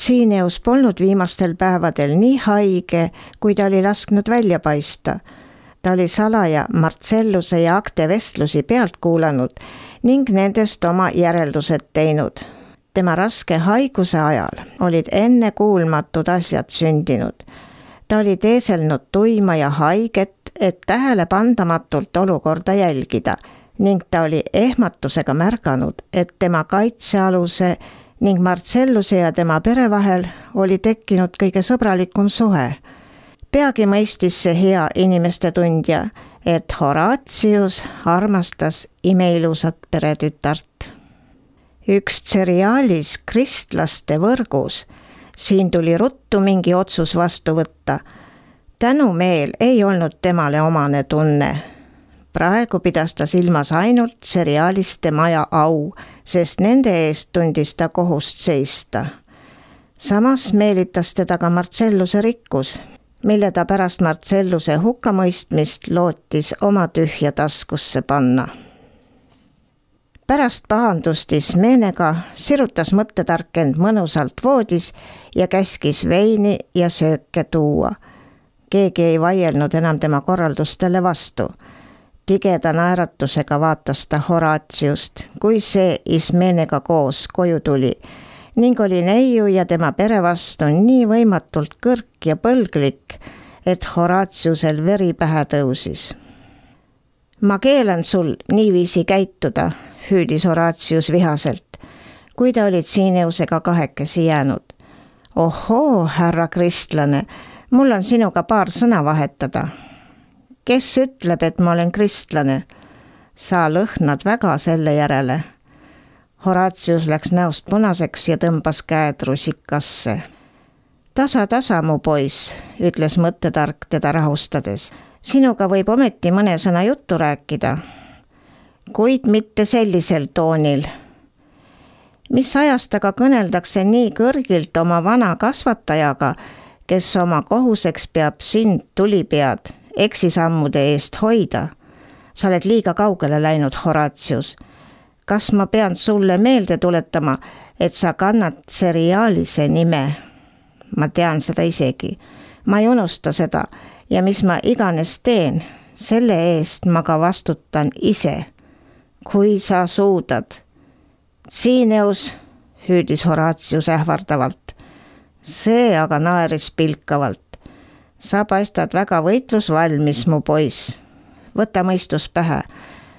Tsiineus polnud viimastel päevadel nii haige, kui ta oli lasknud välja paista. Ta oli salaja Marcelluse ja Acte vestlusi pealt kuulanud ning nendest oma järeldused teinud. Tema raske haiguse ajal olid ennekuulmatud asjad sündinud. Ta oli teeselnud tuima ja haiget, et tähelepandamatult olukorda jälgida ning ta oli ehmatusega märganud, et tema kaitsealuse ning Marcelluse ja tema pere vahel oli tekkinud kõige sõbralikum suhe. Peagi mõistis see hea inimeste tundja, et Horatius armastas imeilusat peretütart. Üks seriaalis kristlaste võrgus, siin tuli ruttu mingi otsus vastu võtta. Tänumeel ei olnud temale omane tunne. Praegu pidas ta silmas ainult seriaaliste maja au, sest nende eest tundis ta kohust seista. Samas meelitas teda ka Marcelluse rikkus, mille ta pärast Marcelluse hukkamõistmist lootis oma tühja taskusse panna. Pärast pahandust Ismenega sirutas mõttetark end mõnusalt voodis ja käskis veini ja sööke tuua. Keegi ei vaielnud enam tema korraldustele vastu. Tigeda naeratusega vaatas ta Horatiust, kui see Ismenega koos koju tuli ning oli neiu ja tema pere vastu nii võimatult kõrk ja põlglik, et Horatiusel veri pähe tõusis. Ma keelan sul niiviisi käituda, hüüdis Horatius vihaselt, kui ta oli Tsiineusega kahekesi jäänud. Ohoo, härra kristlane, mul on sinuga paar sõna vahetada. Kes ütleb, et ma olen kristlane? Sa lõhnad väga selle järele. Horatius läks näost punaseks ja tõmbas käed rusikasse. Tasa, mu poiss, ütles mõttetark teda rahustades. Sinuga võib ometi mõne sõna juttu rääkida, kuid mitte sellisel toonil. Mis ajast aga kõneldakse nii kõrgilt oma vana kasvatajaga, kes oma kohuseks peab sind tulipead eksisammude eest hoida? Sa oled liiga kaugele läinud, Horatius. Kas ma pean sulle meelde tuletama, et sa kannad seriaalise nime? Ma tean seda isegi. Ma ei unusta seda ja mis ma iganes teen, selle eest ma ka vastutan ise. Kui sa suudad. Tsiineus, hüüdis Horatius ähvardavalt. See aga naeris pilkavalt. Sa paistad väga võitlusvalmis, mu poiss. Võta mõistus pähe.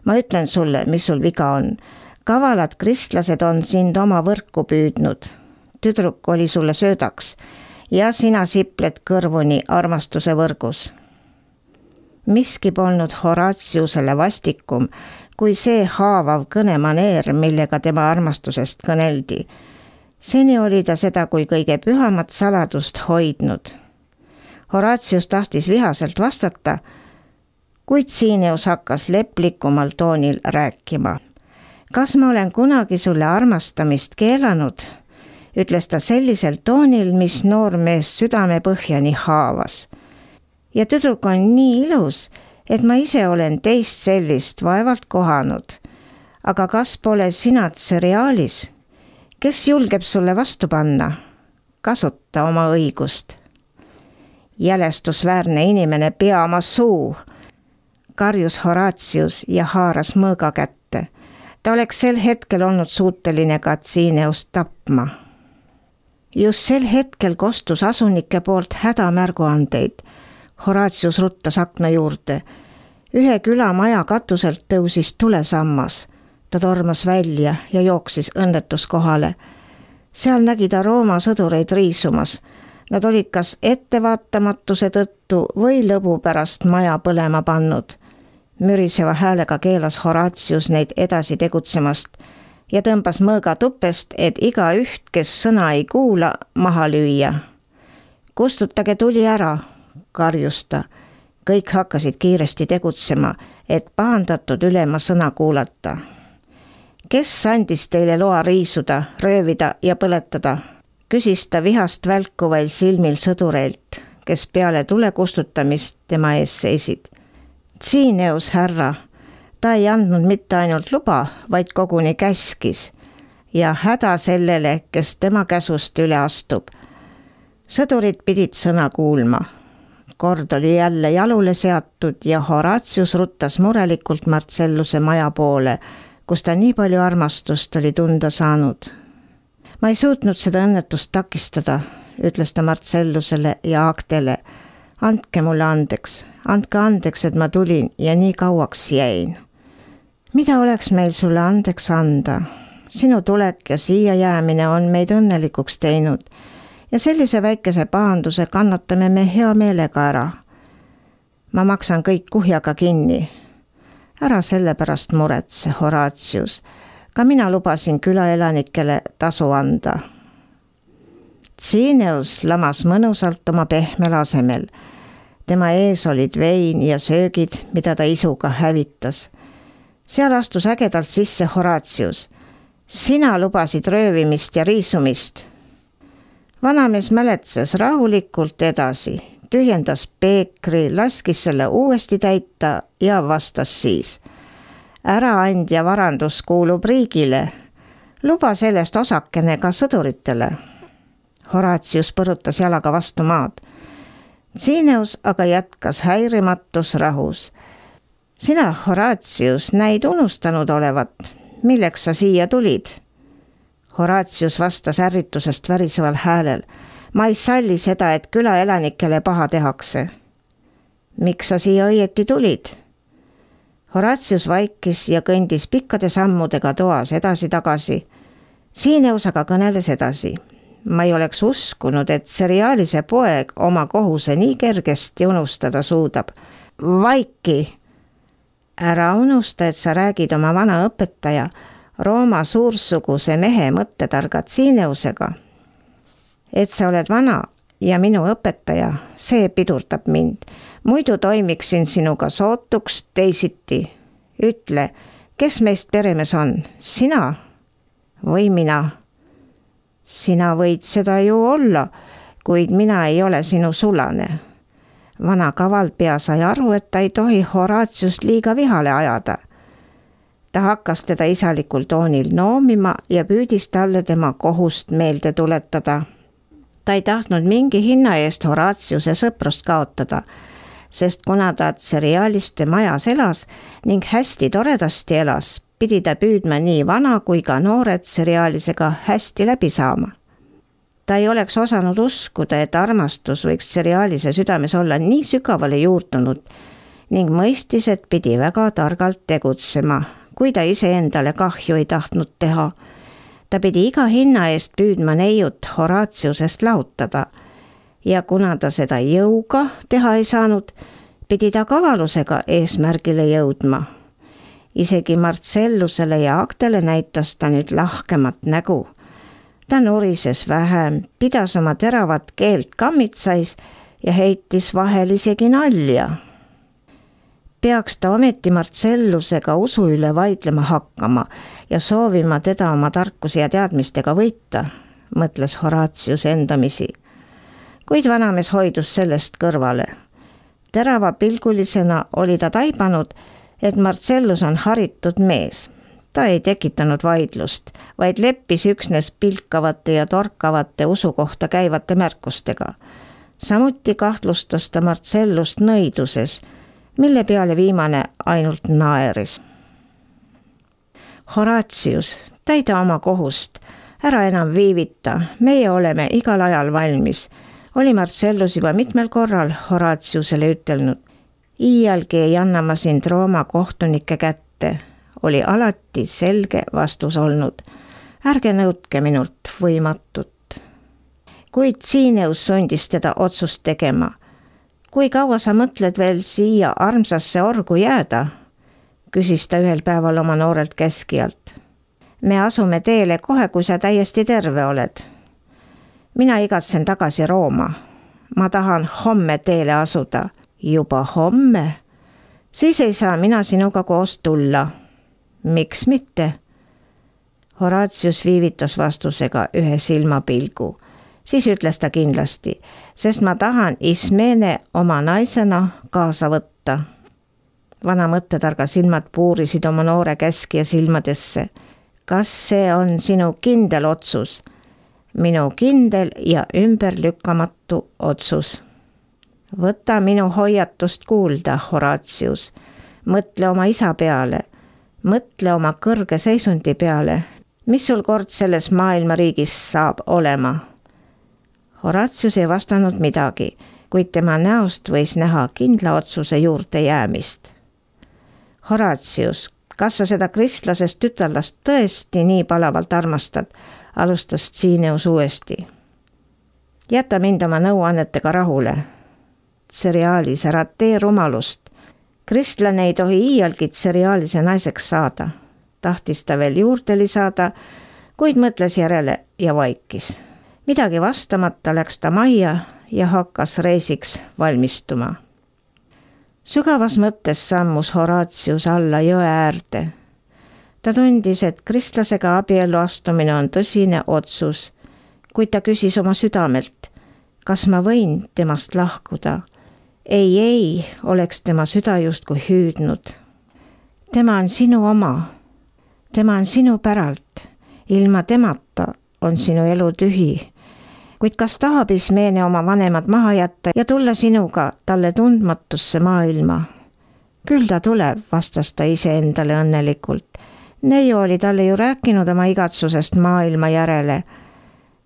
Ma ütlen sulle, mis sul viga on. Kavalad kristlased on sind oma võrku püüdnud. Tüdruk oli sulle söödaks ja sina sipled kõrvuni armastuse võrgus. Miski polnud Horatiusele vastikum, kui see haavav kõnemaneer, millega tema armastusest kõneldi. Seni oli ta seda kui kõige pühamat saladust hoidnud. Horatius tahtis vihaselt vastata, kuid Tsiineus hakkas leplikumal toonil rääkima. Kas ma olen kunagi sulle armastamist keelanud? Ütles ta sellisel toonil, mis noormeest südame põhjani haavas. Ja tüdruk on nii ilus, et ma ise olen teist sellist vaevalt kohanud. Aga kas pole sina seriaalis? Kes julgeb sulle vastu panna? Kasuta oma õigust. Jälestusväärne inimene, pea oma suu, karjus Horatius ja haaras mõõga kätte. Ta oleks sel hetkel olnud suuteline ka Tsiineust tapma. Just sel hetkel kostus asunike poolt hädamärguandeid. Horatius ruttas akna juurde. Ühe külamaja katuselt tõusis tulesammas. Ta tormas välja ja jooksis õnnetuskohale. Seal nägi ta Rooma sõdureid riisumas. Nad olid kas ettevaatamatuse tõttu või lõbu pärast maja põlema pannud. Müriseva häälega keelas Horatius neid edasi tegutsemast ja tõmbas mõõga tupest, et iga üht, kes sõna ei kuula, maha lüüa. Kustutage tuli ära, karjus ta. Kõik hakkasid kiiresti tegutsema, et pahandatud ülema sõna kuulata. Kes andis teile loa riisuda, röövida ja põletada? Küsis ta vihast välkuvail silmil sõdureilt, kes peale tule kustutamist tema ees seisid. Tsiineus, härra, ta ei andnud mitte ainult luba, vaid koguni käskis. ja häda sellele, kes tema käsust üle astub. Sõdurid pidid sõna kuulma. Kord oli jälle jalule seatud ja Horatius ruttas murelikult Marcelluse maja poole, kus ta nii palju armastust oli tunda saanud. Ma ei suutnud seda õnnetust takistada, ütles ta Marcellusele ja Actele. Andke mulle andeks, et ma tulin ja nii kauaks jäin. Mida oleks meil sulle andeks anda? Sinu tulek ja siia jäämine on meid õnnelikuks teinud ja sellise väikese pahanduse kannatame me hea meelega ära. Ma maksan kõik kuhjaga kinni. Ära selle pärast muretse, Horatius. Ka mina lubasin külaelanikele tasu anda. Cineus lamas mõnusalt oma pehmel asemel. Tema ees olid vein ja söögid, mida ta isuga hävitas. Seal astus ägedalt sisse Horatius. Sina lubasid röövimist ja riisumist. Vanamees mäletses rahulikult edasi, tühjendas peekri, laskis selle uuesti täita ja vastas siis. Äraandja varandus kuulub riigile. Luba sellest osakene ka sõduritele. Horatius põrutas jalaga vastu maad. Cineus aga jätkas häirimatus rahus. Sina, Horatius, näid unustanud olevat. Milleks sa siia tulid? Horatius vastas ärritusest väriseval häälel. Ma ei salli seda, et külaelanikele paha tehakse. Miks sa siia õieti tulid? Horatius vaikis ja kõndis pikkade sammudega toas edasi-tagasi. Cineus aga kõneles edasi. Ma ei oleks uskunud, et seriaalise poeg oma kohuse nii kergesti unustada suudab. Vaiki! Ära unusta, et sa räägid oma vana õpetaja, Rooma suursuguse mehe mõttetarga Cineusega. Et sa oled vana ja minu õpetaja, see pidurdab mind. Muidu toimiksin sinuga sootuks teisiti. Ütle, kes meist peremees on? Sina või mina? Sina võid seda ju olla, kuid mina ei ole sinu sulane. Vana kavalpea sai aru, et ta ei tohi Horatiust liiga vihale ajada. Ta hakkas teda isalikul toonil noomima ja püüdis talle tema kohust meelde tuletada. Ta ei tahtnud mingi hinna eest Horatiuse sõprust kaotada, sest kuna ta seriaaliste majas elas ning hästi toredasti elas, pidi ta püüdma nii vana kui ka noored seriaalisega hästi läbi saama. Ta ei oleks osanud uskuda, et armastus võiks seriaalise südames olla nii sügavale juurdunud ning mõistis, et pidi väga targalt tegutsema, kui ta iseendale kahju ei tahtnud teha. Ta pidi iga hinna eest püüdma neiut Horatiusest lahutada ja kuna ta seda jõuga teha ei saanud, pidi ta kavalusega eesmärgile jõudma. Isegi Marcellusele ja Actele näitas ta nüüd lahkemat nägu. Ta nurises vähem, pidas oma teravat keelt kammitsais ja heitis vahel isegi nalja. Peaks ta ometi Marcellusega usu üle vaidlema hakkama ja soovima teda oma tarkuse ja teadmistega võita, mõtles Horatius endamisi. Kuid vanamees hoidus sellest kõrvale. Terava pilgulisena oli ta taibanud, et Marcellus on haritud mees. Ta ei tekitanud vaidlust, vaid leppis üksnes pilkavate ja torkavate usu kohta käivate märkustega. Samuti kahtlustas ta Marcellust nõiduses, mille peale viimane ainult naeris. Horatius, täida oma kohust, ära enam viivita, meie oleme igal ajal valmis, oli Marcellus juba mitmel korral Horatiusele ütelnud. Iialgi ei anna ma sind Rooma kohtunike kätte, oli alati selge vastus olnud. Ärge nõudke minult võimatut. Kuid Cineus sundis teda otsust tegema. Kui kaua sa mõtled veel siia armsasse orgu jääda? Küsis ta ühel päeval oma noorelt käskijalt. Me asume teele kohe, kui sa täiesti terve oled. Mina igatsen tagasi Rooma. Ma tahan homme teele asuda. Juba homme? Siis ei saa mina sinuga koos tulla. Miks mitte? Horatius viivitas vastusega ühe silmapilgu. Siis ütles ta kindlasti, sest ma tahan Ismene oma naisena kaasa võtta. Vana mõttetarga silmad puurisid oma noore käskija silmadesse. kas see on sinu kindel otsus? Minu kindel ja ümberlükkamatu otsus. Võta minu hoiatust kuulda, Horatius. Mõtle oma isa peale. Mõtle oma kõrge seisundi peale. Mis sul kord selles maailmariigis saab olema? Horatius ei vastanud midagi, kuid tema näost võis näha kindla otsuse juurde jäämist. Horatius, kas sa seda kristlasest tütarlast tõesti nii palavalt armastad, alustas Tsiineus uuesti. Jäta mind oma nõuannetega rahule. Tseriaalis, ära tee rumalust. Kristlane ei tohi iialgi tseriaalise naiseks saada. Tahtis ta veel juurde lisada, kuid mõtles järele ja vaikis. Midagi vastamata läks ta majja ja hakkas reisiks valmistuma. Sügavas mõttes sammus Horatius alla jõe äärde. Ta tundis, et kristlasega abiellu astumine on tõsine otsus, kuid ta küsis oma südamelt, kas ma võin temast lahkuda. Ei, oleks tema süda justkui hüüdnud. Tema on sinu oma. Tema on sinu päralt. Ilma temata on sinu elu tühi. Kuid kas tahab Ismeene oma vanemad maha jätta ja tulla sinuga talle tundmatusse maailma? Küll ta tuleb, vastas ta iseendale õnnelikult. Neiu oli talle ju rääkinud oma igatsusest maailma järele.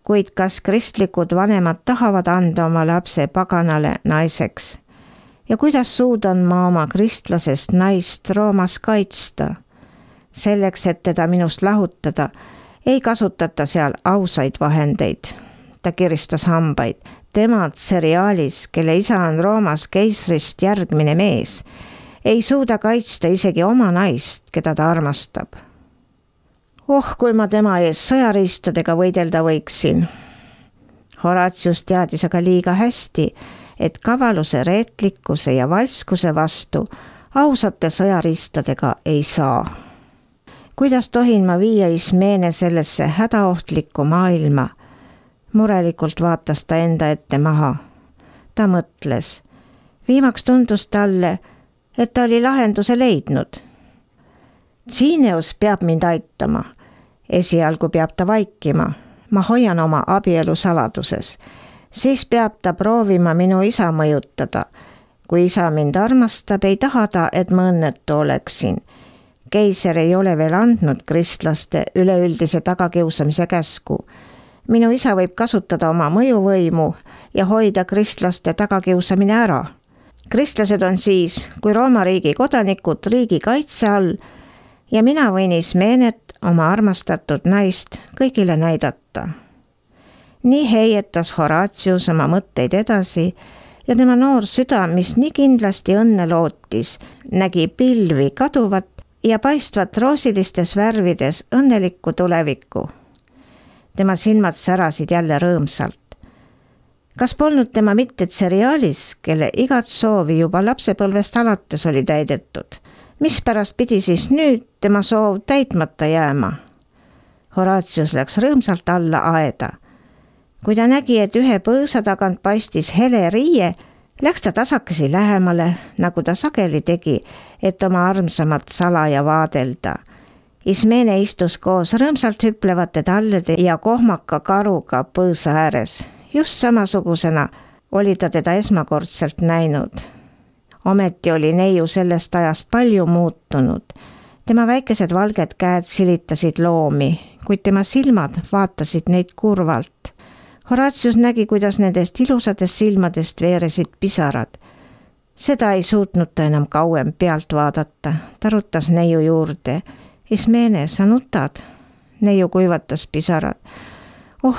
Kuid kas kristlikud vanemad tahavad anda oma lapse paganale naiseks? Ja kuidas suudan ma oma kristlasest naist Roomas kaitsta? Selleks, et teda minust lahutada, ei kasutata seal ausaid vahendeid. Ta kiristas hambaid. Tema tseriaalis, kelle isa on Roomas keisrist järgmine mees, ei suuda kaitsta isegi oma naist, keda ta armastab. Kui ma tema ees sõjariistadega võidelda võiksin. Horatius teadis aga liiga hästi, et kavaluse, reetlikkuse ja valskuse vastu ausate sõjariistadega ei saa. Kuidas tohin ma viia Ismeene sellesse hädaohtlikku maailma? Murelikult vaatas ta enda ette maha. Ta mõtles. Viimaks tundus talle, et ta oli lahenduse leidnud. Tsiineus peab mind aitama. Esialgu peab ta vaikima. Ma hoian oma abielu saladuses. Siis peab ta proovima minu isa mõjutada. Kui isa mind armastab, ei taha ta, et ma õnnetu oleksin. Keiser ei ole veel andnud kristlaste üleüldise tagakiusamise käsku. Minu isa võib kasutada oma mõjuvõimu ja hoida kristlaste tagakiusamine ära. Kristlased on siis, kui Rooma riigi kodanikud riigi kaitse all ja mina võin Ismeenet, oma armastatud naist, kõigile näidata. Nii heietas Horatius oma mõtteid edasi ja tema noor süda, mis nii kindlasti õnne lootis, nägi pilvi kaduvat ja paistvat roosilistes värvides õnnelikku tulevikku. Tema silmad särasid jälle rõõmsalt. Kas polnud tema mitte tseriaalis, kelle igat soovi juba lapsepõlvest alates oli täidetud? Mispärast pidi siis nüüd tema soov täitmata jääma? Horatius läks rõõmsalt alla aeda. Kui ta nägi, et ühe põõsa tagant paistis hele riie, läks ta tasakesi lähemale, nagu ta sageli tegi, et oma armsamat salaja vaadelda. Ismeene istus koos rõõmsalt hüplevate tallede ja kohmaka karuga põõsa ääres. Just samasugusena oli ta teda esmakordselt näinud. Ometi oli neiu sellest ajast palju muutunud. Tema väikesed valged käed silitasid loomi, kuid tema silmad vaatasid neid kurvalt. Horatius nägi, kuidas nendest ilusatest silmadest veeresid pisarad. Seda ei suutnud ta enam kauem pealt vaadata. Ta rutas neiu juurde. Ismeene, sa nutad? Neiu kuivatas pisarad.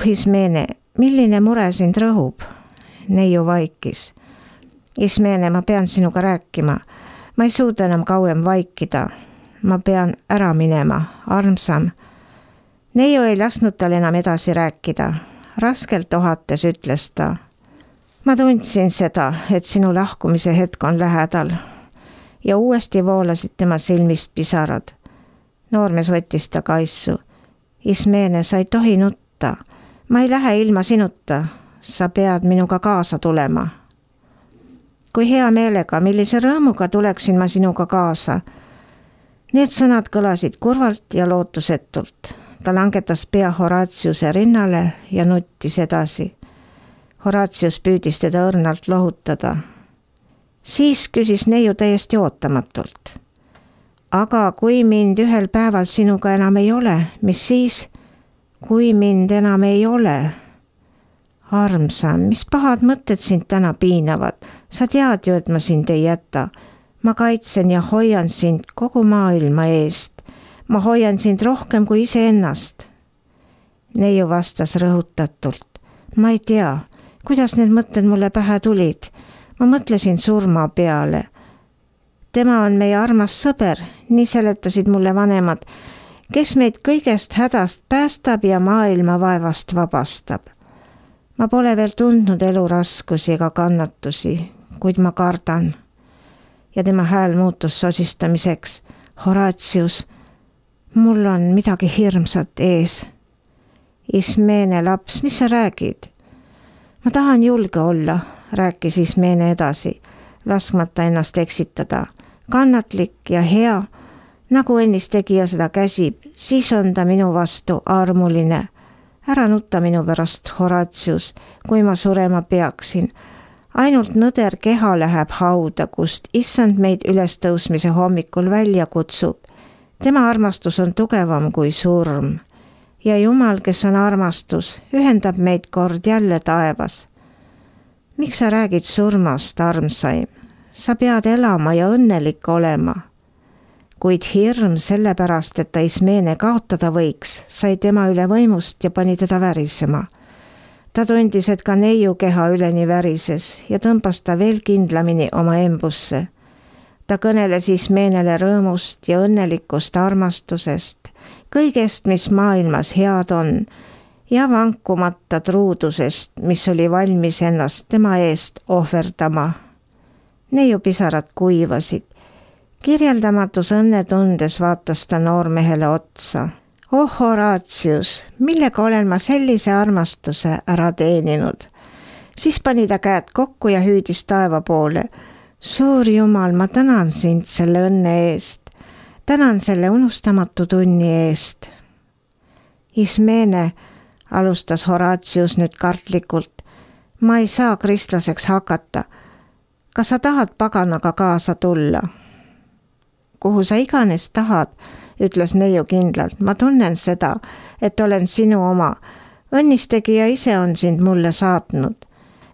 Ismeene, milline mure sind rõhub? Neiu vaikis. Ismeene, ma pean sinuga rääkima. Ma ei suuda enam kauem vaikida. Ma pean ära minema, armsam. Neiu ei lasknud tal enam edasi rääkida. Raskelt ohates ütles ta. Ma tundsin seda, et sinu lahkumise hetk on lähedal. Ja uuesti voolasid tema silmist pisarad. Noormees võttis ta kaisu. Ismeene, sa ei tohi nutta. Ma ei lähe ilma sinuta. Sa pead minuga kaasa tulema. Kui hea meelega, millise rõõmuga tuleksin ma sinuga kaasa. Need sõnad kõlasid kurvalt ja lootusetult. Ta langetas pea Horatiuse rinnale ja nuttis edasi. Horatius püüdis teda õrnalt lohutada. Siis küsis neiu täiesti ootamatult. Aga kui mind ühel päeval sinuga enam ei ole, mis siis? Kui mind enam ei ole? Armsam, mis pahad mõtted sind täna piinavad? Sa tead ju, et ma sind ei jäta. Ma kaitsen ja hoian sind kogu maailma eest. Ma hoian sind rohkem kui iseennast. Neiu vastas rõhutatult. Ma ei tea, kuidas need mõtted mulle pähe tulid. Ma mõtlesin surma peale. Tema on meie armas sõber, nii seletasid mulle vanemad, kes meid kõigest hädast päästab ja maailma vaevast vabastab. Ma pole veel tundnud elu raskusi ega kannatusi, kuid ma kardan. Ja tema hääl muutus sosistamiseks. Horatius, mul on midagi hirmsat ees. Ismene laps, mis sa räägid? Ma tahan julge olla, rääkis Ismene edasi, laskmata ennast eksitada. Kannatlik ja hea, nagu ennist tegija seda käsib, siis on ta minu vastu armuline. Ära nutta minu pärast, Horatius, kui ma surema peaksin. Ainult nõder keha läheb hauda, kust issand meid ülestõusmise hommikul välja kutsub. Tema armastus on tugevam kui surm. Ja Jumal, kes on armastus, ühendab meid kord jälle taevas. Miks sa räägid surmast, armsaim? Sa pead elama ja õnnelik olema. Kuid hirm sellepärast, et ta Ismene kaotada võiks, sai tema üle võimust ja pani teda värisema. Ta tundis, et ka neiu keha üleni värises ja tõmbas ta veel kindlamini oma embusse. Ta kõneles Ismenele rõõmust ja õnnelikust armastusest, kõigest, mis maailmas head on, ja vankumata truudusest, mis oli valmis ennast tema eest ohverdama. Neiu pisarad kuivasid. Kirjeldamatus õnnetundes vaatas ta noormehele otsa. Oh, Horatius, millega olen ma sellise armastuse ära teeninud? Siis pani ta käed kokku ja hüüdis taeva poole. Suur Jumal, ma tänan sind selle õnne eest. Tänan selle unustamatu tunni eest. Ismene, alustas Horatius nüüd kartlikult. Ma ei saa kristlaseks hakata. Kas sa tahad paganaga kaasa tulla? Kuhu sa iganes tahad, ütles neiu kindlalt. Ma tunnen seda, et olen sinu oma. Õnnistegija ise on sind mulle saatnud.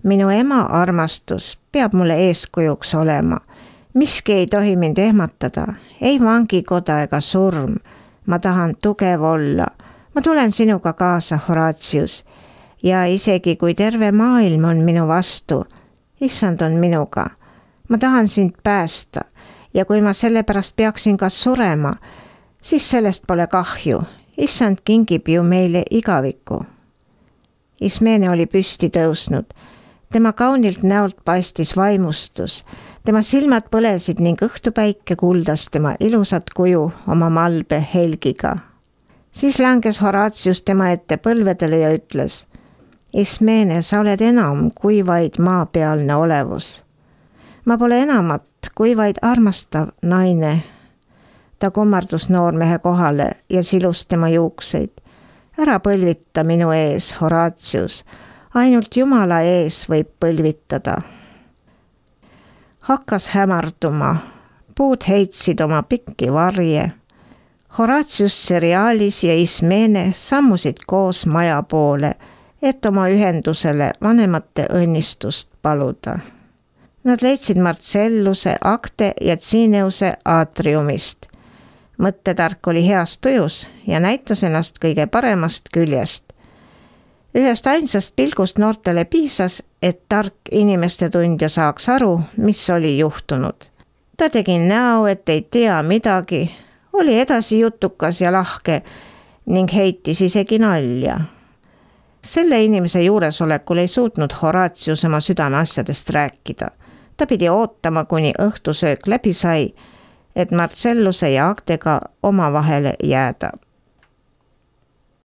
Minu ema armastus peab mulle eeskujuks olema. Miski ei tohi mind ehmatada, ei vangikoda ega surm. Ma tahan tugev olla. Ma tulen sinuga kaasa, Horatius. Ja isegi kui terve maailm on minu vastu, issand on minuga. Ma tahan sind päästa. Ja kui ma sellepärast peaksin kas surema, siis sellest pole kahju. Issand kingib ju meile igaviku. Ismene oli püsti tõusnud. Tema kaunilt näolt paistis vaimustus. Tema silmad põlesid ning õhtupäike kuldas tema ilusat kuju oma malbe helgiga. Siis langes Horatius tema ette põlvedele ja ütles: Ismene, sa oled enam kui vaid maapealne olevus. Ma pole enamat kui vaid armastav naine. Ta kummardus noormehe kohale ja silus tema juukseid. Ära põlvita minu ees, Horatius. Ainult Jumala ees võib põlvitada. Hakkas hämarduma. Puud heitsid oma pikki varje. Horatius seriaalis ja Ismene sammusid koos maja poole, et oma ühendusele vanemate õnnistust paluda. Nad leidsid Marcelluse, Acte ja Cineuse aatriumist. Mõttetark oli heas tujus ja näitas ennast kõige paremast küljest. Ühest ainsast pilgust noortele piisas, et tark inimeste tundja saaks aru, mis oli juhtunud. Ta tegi näo, et ei tea midagi, oli edasi jutukas ja lahke ning heitis isegi nalja. Selle inimese juuresolekul ei suutnud Horatius oma südameasjadest rääkida. Ta pidi ootama, kuni õhtusöök läbi sai, et Marcelluse ja Actega omavahele jääda.